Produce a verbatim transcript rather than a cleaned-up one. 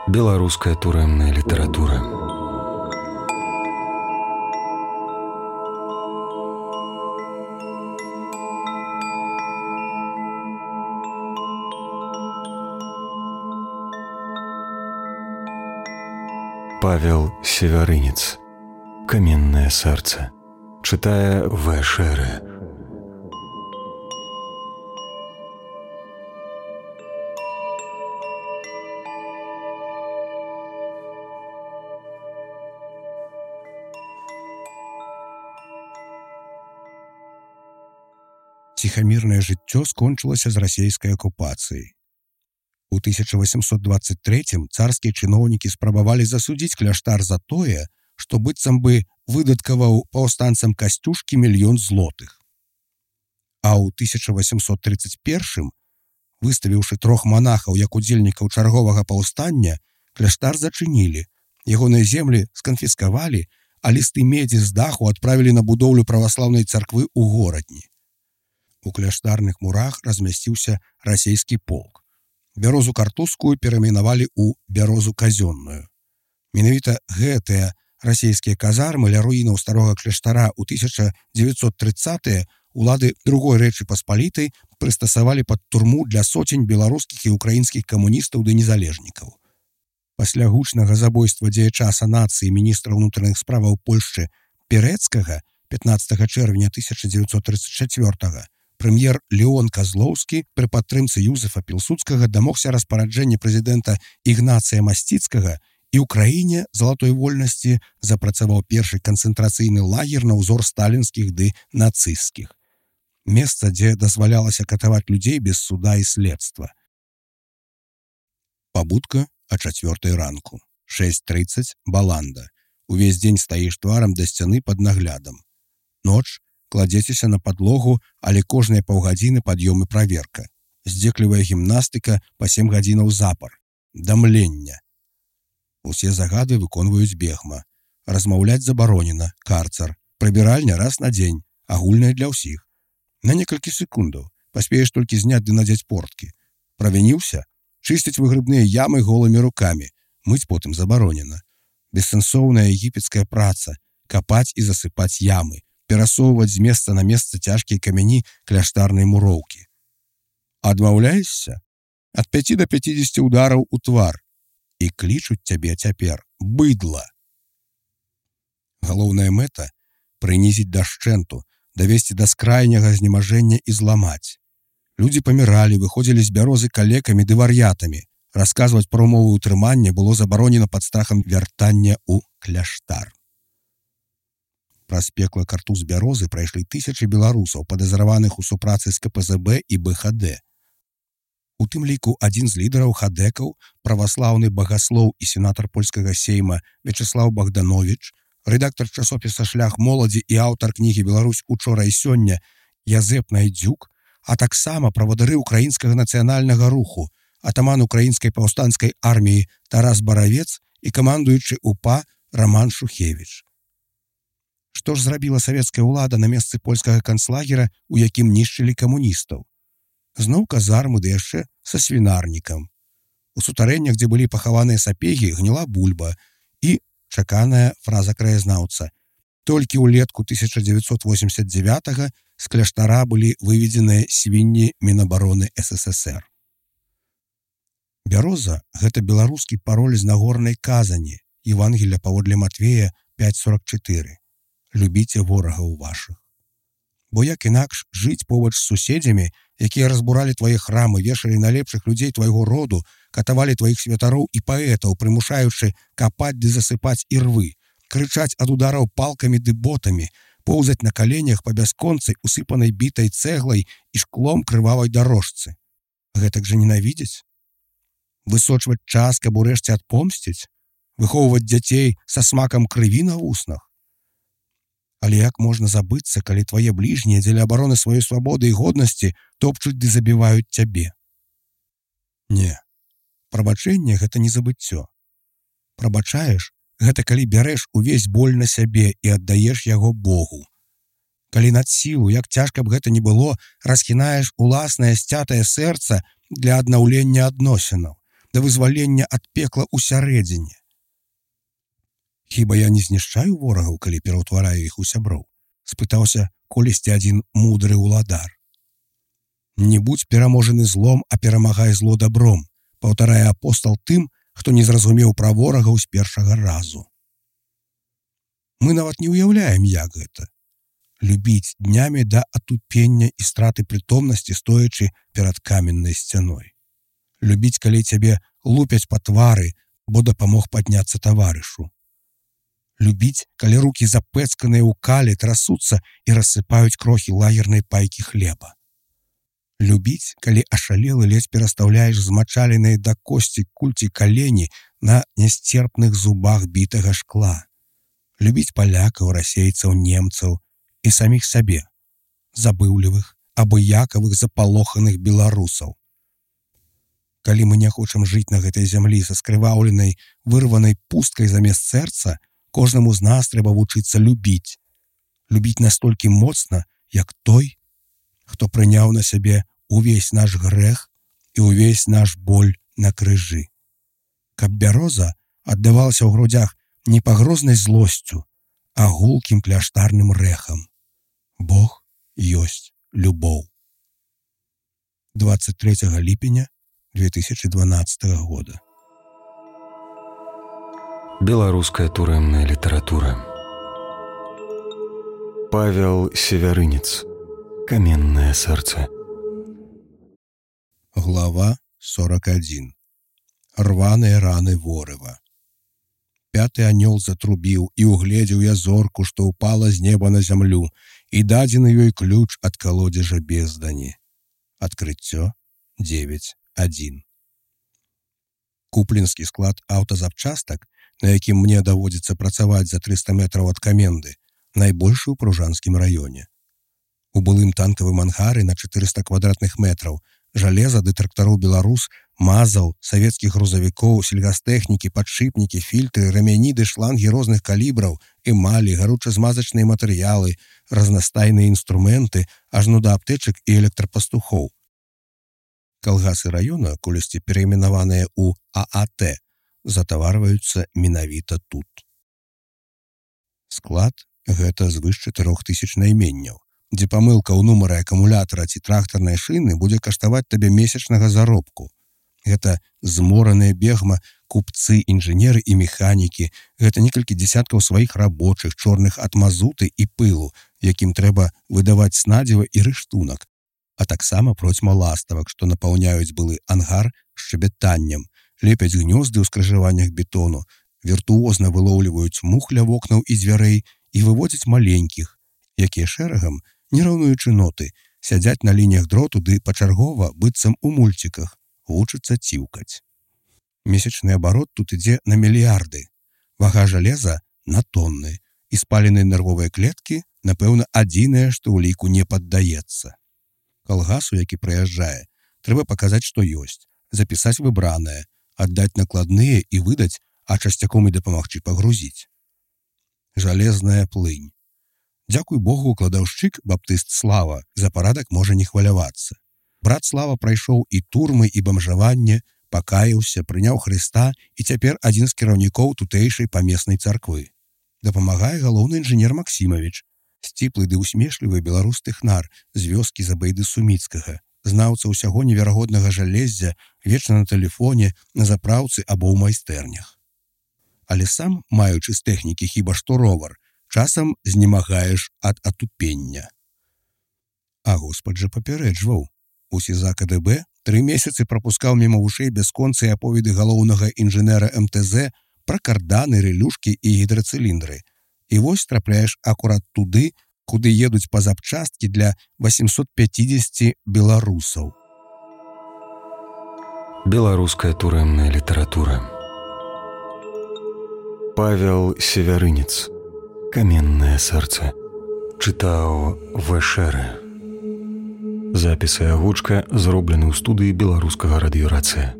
Беларуская турэмная літаратура. Павел Севярынец. Каменное сердце. Читая В. Шеры. Ціхамірнае жыццё скончылася з расійскай акупацыяй. У тысяча восемьсот двадцать третьем царскія чыноўнікі спрабавалі засудзіць кляштар за тое, што быццам бы выдаткаваў паўстанцам Касцюшкі мільён злотых. А ў тысяча восемьсот тридцать первым, выставіўшы трох манахаў як удзельнікаў чарговага паўстання, кляштар зачынілі, ягоныя землі сканфіскавалі, а лісты медзі з даху адправілі на будоўлю праваслаўнай царквы ў горадні. У кляштарных мурах размясціўся расійскі полк. Бярозу картузскую перайменавалі ў бярозу казённую. Менавіта гэтыя расійскія казармы ля руінаў старога кляштара ў тысяча дзевяцьсот трыццатыя улады другой Рэчы Паспалітай прыстасавалі пад турму для соцень беларускіх і украінскіх камуністаў ды незалежнікаў. Пасля гучнага забойства дзеяча санацыі міністра ўнутраных справаў Польшчы Пірэцкага пятнаццатага чэрвеня тысяча дзевяцьсот тридцать четвёртага прэм'ер Леон Казлоўскі пры падтрымцы Юзефа Пілсудскага дамогся распараджэння прэзідэнта Ігнацыя Масціцкага і ў краіне залатой вольнасці запрацаваў першы канцэнтрацыйны лагер на ўзор сталінскіх ды нацысцкіх. Месца, дзе дазвалялася катаваць людзей без суда і следства. Пабудка а чацвёртай ранку. шэсць трыццаць баланда. Увесь дзень стаіш тварам да сцяны пад наглядам. Ноч кладзецеся на падлогу, але кожныя паўгадзіны пад'ём і праверка. Здзеклівая гімнастыка па сем гадзінаў запар. Дамлення. Усе загады выконваюць бегма. Размаўляць забаронена, карцар. Прыбіральня раз на дзень, агульная для ўсіх. На некалькі секундаў. Паспееш толькі зняць ды надзець порткі. Правініўся? Чысціць выгрыбныя ямы голымі рукамі. Мыць потым забаронена. Бессэнсоўная егіпецкая праца. Капаць і засыпаць ямы. Перасоўваць з месца на месца цяжкія камяні кляштарнай муроўкі. Адмаўляешся? Ад пяці да пяцідзесяці удараў у твар. І клічуць цябе цяпер быдла. Галоўная мэта — прынізіць да шчэнту, давесці да скрайняга знемажэння і зламаць. Людзі паміралі, выходзілі з бярозы калекамі ды вар'ятамі. Расказваць пра ўмовы ўтрымання было забаронена пад страхам вяртання ў кляштар. Праз пекла картуз бярозы прайшлі тысячы беларусаў, падазраваных у супрацы з ка пэ зэ бэ і бэ ха дэ. У тым ліку адзін з лідараў хадэкаў, праваслаўны багаслоў і сенатар польскага сейма Вячеслаў Богданович, рэдактар часопіса «Шлях моладзі» і аўтар кнігі «Беларусь учора і сёння» Язэп Найдзюк, а таксама правадыры украінскага нацыянальнага руху, атаман украінскай паўстанцкай арміі Тарас Баравец і камандуючы УПА Раман Шухевіч. Што ж зрабіла савецкая ўлада на месцы польскага канцлагера, у якім нішчылі камуністаў? Зноў казармы, ды яшчэ са свінарнікам. У сутарэннях, дзе былі пахаваныя сапегі, гніла бульба і чаканая фраза краязнаўца. Толькі ўлетку тысяча дзевяцьсот восемьдесят девятага з кляштара былі выведзеныя свінні Мінабароны эс эс эс эр. Бяроза — гэта беларускі пароль з нагорнай казані, Евангелля паводле Матвея пяць сорок чатыры. Любіце ворагаў вашых. Бо як інакш жыць побач з суседзямі, якія разбуралі твае храмы, вешалі найлепшых людзей твайго роду, катавалі тваіх святароў і паэтаў, прымушаючы капаць ды засыпаць ірвы, крычаць ад удараў палкамі ды ботамі, поўзаць на каленях па бясконцай, усыпанай бітай цэглай і шклом крывавай дарожцы. Гэтак жа ненавідзець? Высочваць час, каб урэшце адпомсціць? Выхоўваць дзяцей са смакам крыві на вуснах? Але як можна забыцца, калі твае бліжнія дзеля абароны сваёй свабоды і годнасці топчуць ды забіваюць цябе? Не. Прабачэнне — гэта не забыццё. Прабачаеш — гэта калі бярэш увесь боль на сябе і аддаеш яго Богу. Калі над сілу, як цяжка б гэта ні было, расхінаеш уласнае сцятае сэрца для аднаўлення адносінаў, да вызвалення ад пекла ўсярэдзіне. Хіба я не знішчаю ворагаў, калі пераўтвараю іх у сяброў? Спытаўся колісьці адзін мудры ўладар. Не будзь пераможаны злом, а перамагай зло дабром, паўтарае апостал тым, хто не зразумеў пра ворагаў з першага разу. Мы нават не ўяўляем, як гэта. Любіць днямі да атупення і страты прытомнасці, стоячы перад каменнай сцяной. Любіць, калі цябе лупяць па твары, бо дапамог падняцца таварышу. Любіць, калі рукі запэцканыя ў калі трасуцца і рассыпаюць крохі лагернай пайкі хлеба. Любіць, калі ашалелы ледзь перастаўляеш змачаленыя да косці кульці калені на нясцерпных зубах бітага шкла. Любіць палякаў, расейцаў, немцаў і саміх сабе, забыўлівых, абыякавых, запалоханых беларусаў. Калі мы не хочам жыць на гэтай зямлі са скрываўленай, вырванай пусткай замест сэрца, кожнаму з нас трэба вучыцца любіць. Любіць настолькі моцна, як той, хто прыняў на сябе увесь наш грэх і увесь наш боль на крыжы. Каб бяроза аддавалася ў грудзях не пагрознай злосцю, а гулкім кляштарным рэхам. Бог ёсць любоў. двадцать третьего ліпеня две тысячи двенадцатого года. Беларуская турэмная літаратура. Павел Севярынец. Каменное сэрца. Глава сорок один. Рваныя раны ворыва. Пяты анёл затрубіў, і угледзеў я зорку, што ўпала з неба на зямлю, і дадзены ёй ключ ад калодзежа бездані. Адкрыццё девять один. Купленскі склад аўтазапчастак, на якім мне даводзіцца працаваць за триста метраў ад каменды, найбольшы ў Пружанскім раёне. У былым танкавым ангары на четыреста квадратных метраў жалеза ды трактароў «Беларус», мазаў, савецкіх грузавікоў, сельгастэхнікі, падшыпнікі, фільтры, рамяні ды шлангі розных калібраў, эмалі, гаручазмазачныя матэрыялы, разнастайныя інструменты, ажно да аптэчак і электрапастухоў. Калгасы раёна, колісьці перайменаваныя ў А А Т, затаварваюцца менавіта тут. Склад – гэта звыш чатырох тысяч найменняў, дзе памылка ў нумары акумулятара ці трактарнай шыны будзе каштаваць табе месячнага заробку. Гэта змораныя бегма, купцы, інжынеры і механікі, гэта некалькі дзесяткаў сваіх рабочых, чорных ад мазуты і пылу, якім трэба выдаваць снадзіва і рыштунак, а таксама процьма ластавак, што напаўняюць былы ангар шчабятаннем, лепяць гнёзды ў скрыжаваннях бетону, віртуозна вылоўліваюць мух ля вокнаў і дзвярэй і выводзяць маленькіх, якія шэрагам, не раўнуючы ноты, сядзяць на лініях дроту ды пачаргова, быццам у мульціках, вучыцца ціўкаць. Месячны абарот тут ідзе на мільярды, вага жалеза на тонны, і спаленыя нервовыя клеткі, напэўна, адзінае, што ў ліку не паддаецца. Калгасу, які прыязджае, трэба паказаць, што ёсць, запісаць выбранае, аддаць накладныя і выдаць, а часцяком і дапамагчы пагрузіць. Жалезная плынь. Дзякуй Богу, кладаўшчык, баптыст Слава, за парадак можа не хвалявацца. Брат Слава прайшоў і турмы, і бамжаванне, пакаяўся, прыняў Хрыста і цяпер адзін з кіраўнікоў тутэйшай памеснай царквы. Дапамагае галоўны інжынер Максімавіч, сціплы ды усмешлівы беларус тэхнар з вёскі Забайды Суміцкага, знаўца ўсяго неверагоднага жалеззя, вечна на тэлефоне, на запраўцы або ў майстэрнях. Але сам, маючы з тэхнікі хіба што ровар, часам знемагаеш ад атупення. А Господ жа папярэджваў. У СІЗА Ка Дэ Бэ тры месяцы прапускаў міма вушэй бясконцыя аповеды галоўнага інжынера Эм Тэ Зэ пра карданы, рэлюшкі і гідрацыліндры. І вось трапляеш акурат туды, куды едуць па запчасткі для восемьсот пятьдесят беларусаў. Беларуская турэмная літаратура. Павел Севярынец. Каменное сэрца. Чытаў Вэшэрэ. Запіс і агучка зроблены ў студыі беларускага радыёрацыя.